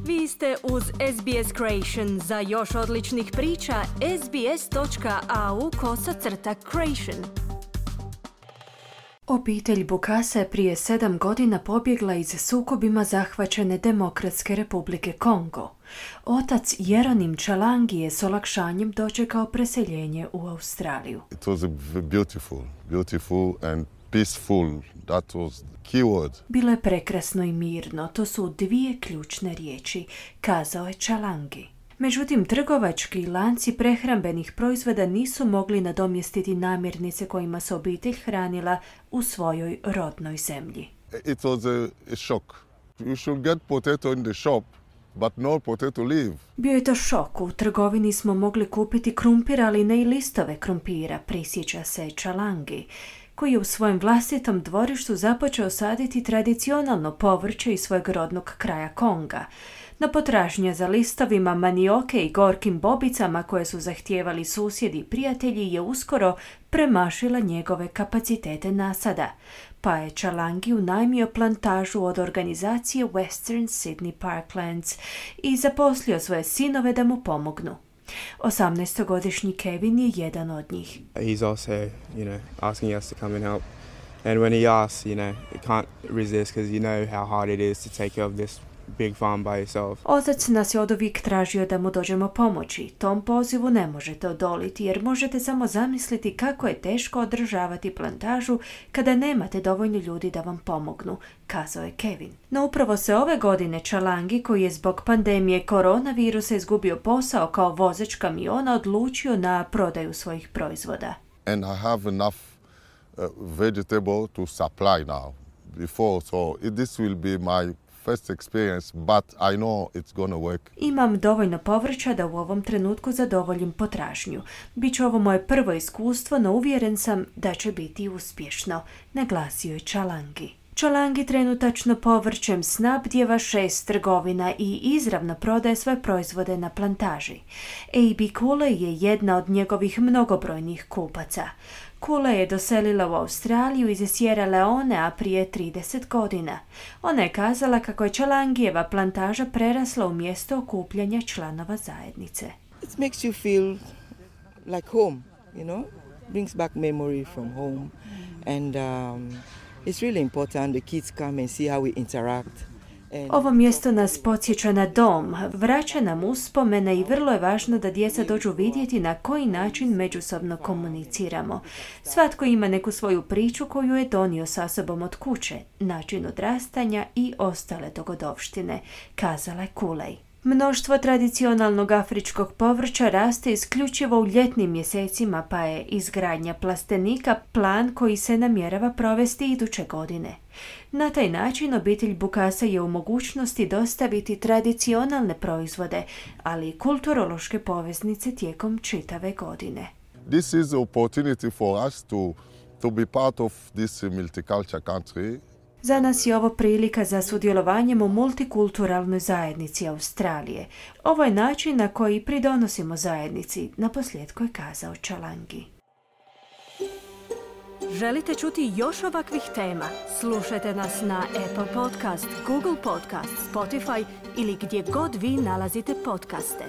Vi ste uz SBS Creation. Za još odličnih priča, sbs.au/creation. Obitelj Bukasa je prije 7 godina pobjegla iz sukobima zahvaćene Demokratske republike Kongo. Otac Jeronim Chalangi je s olakšanjem dočekao preseljenje u Australiju. It was beautiful and peaceful. That was the key word. Bilo je prekrasno i mirno, to su dvije ključne riječi, kazao je Chalangi. Međutim, trgovački lanci prehrambenih proizvoda nisu mogli nadomjestiti namirnice kojima se obitelj hranila u svojoj rodnoj zemlji. It was a shock. You should get potato in the shop, but no potato leaf. Bio je to šok. U trgovini smo mogli kupiti krumpir, ali ne i listove krumpira, prisjeća se Chalangi, koji je u svojem vlastitom dvorištu započeo saditi tradicionalno povrće iz svojeg rodnog kraja Konga. No potražnja za listovima manioke i gorkim bobicama koje su zahtijevali susjedi i prijatelji je uskoro premašila njegove kapacitete nasada, pa je Chalangi unajmio plantažu od organizacije Western Sydney Parklands i zaposlio svoje sinove da mu pomognu. 18-godišnji Kevin je jedan od njih. He's also, asking us to come and help. And when he asks, you can't resist because you know how hard it is to take care of this big farm by yourself. Otac nas je oduvijek tražio da mu dođemo pomoći. Tom pozivu ne možete odoliti jer možete samo zamisliti kako je teško održavati plantažu kada nemate dovoljno ljudi da vam pomognu, kazao je Kevin. No upravo se ove godine Chalangi, koji je zbog pandemije koronavirusa izgubio posao kao vozač kamiona, odlučio na prodaju svojih proizvoda. And I have enough vegetable to supply now. Before, so this will be my first experience, but I know it's gonna work. Imam dovoljno povrća da u ovom trenutku zadovoljim potražnju. Biće ovo moje prvo iskustvo, no uvjeren sam da će biti uspješno, naglasio je Chalangi. Chalangi trenutačno povrćem snabdijeva 6 trgovina i izravno prodaje svoje proizvode na plantaži. A.B. Kule je jedna od njegovih mnogobrojnih kupaca. Kule je doselila u Australiju iz Sierra Leonea prije 30 godina. Ona je kazala kako je Chalangijeva plantaža prerasla u mjesto okupljanja članova zajednice. It makes you feel like home, brings back memory from home. And it's really important the kids come and see how we interact. Ovo mjesto nas podsjeća na dom, vraća nam uspomene i vrlo je važno da djeca dođu vidjeti na koji način međusobno komuniciramo. Svatko ima neku svoju priču koju je donio sa sobom od kuće, način odrastanja i ostale dogodovštine, kazala je Kulej. Mnoštvo tradicionalnog afričkog povrća raste isključivo u ljetnim mjesecima, pa je izgradnja plastenika plan koji se namjerava provesti iduće godine. Na taj način obitelj Bukasa je u mogućnosti dostaviti tradicionalne proizvode, ali i kulturološke poveznice tijekom čitave godine. This is an opportunity for us to be part of this multicultural country. Za nas je ovo prilika za sudjelovanjem u multikulturalnoj zajednici Australije. Ovo je način na koji pridonosimo zajednici, naposljetku je kazao Chalangi. Želite čuti još ovakvih tema? Slušajte nas na Apple Podcast, Google Podcast, Spotify ili gdje god vi nalazite podcaste.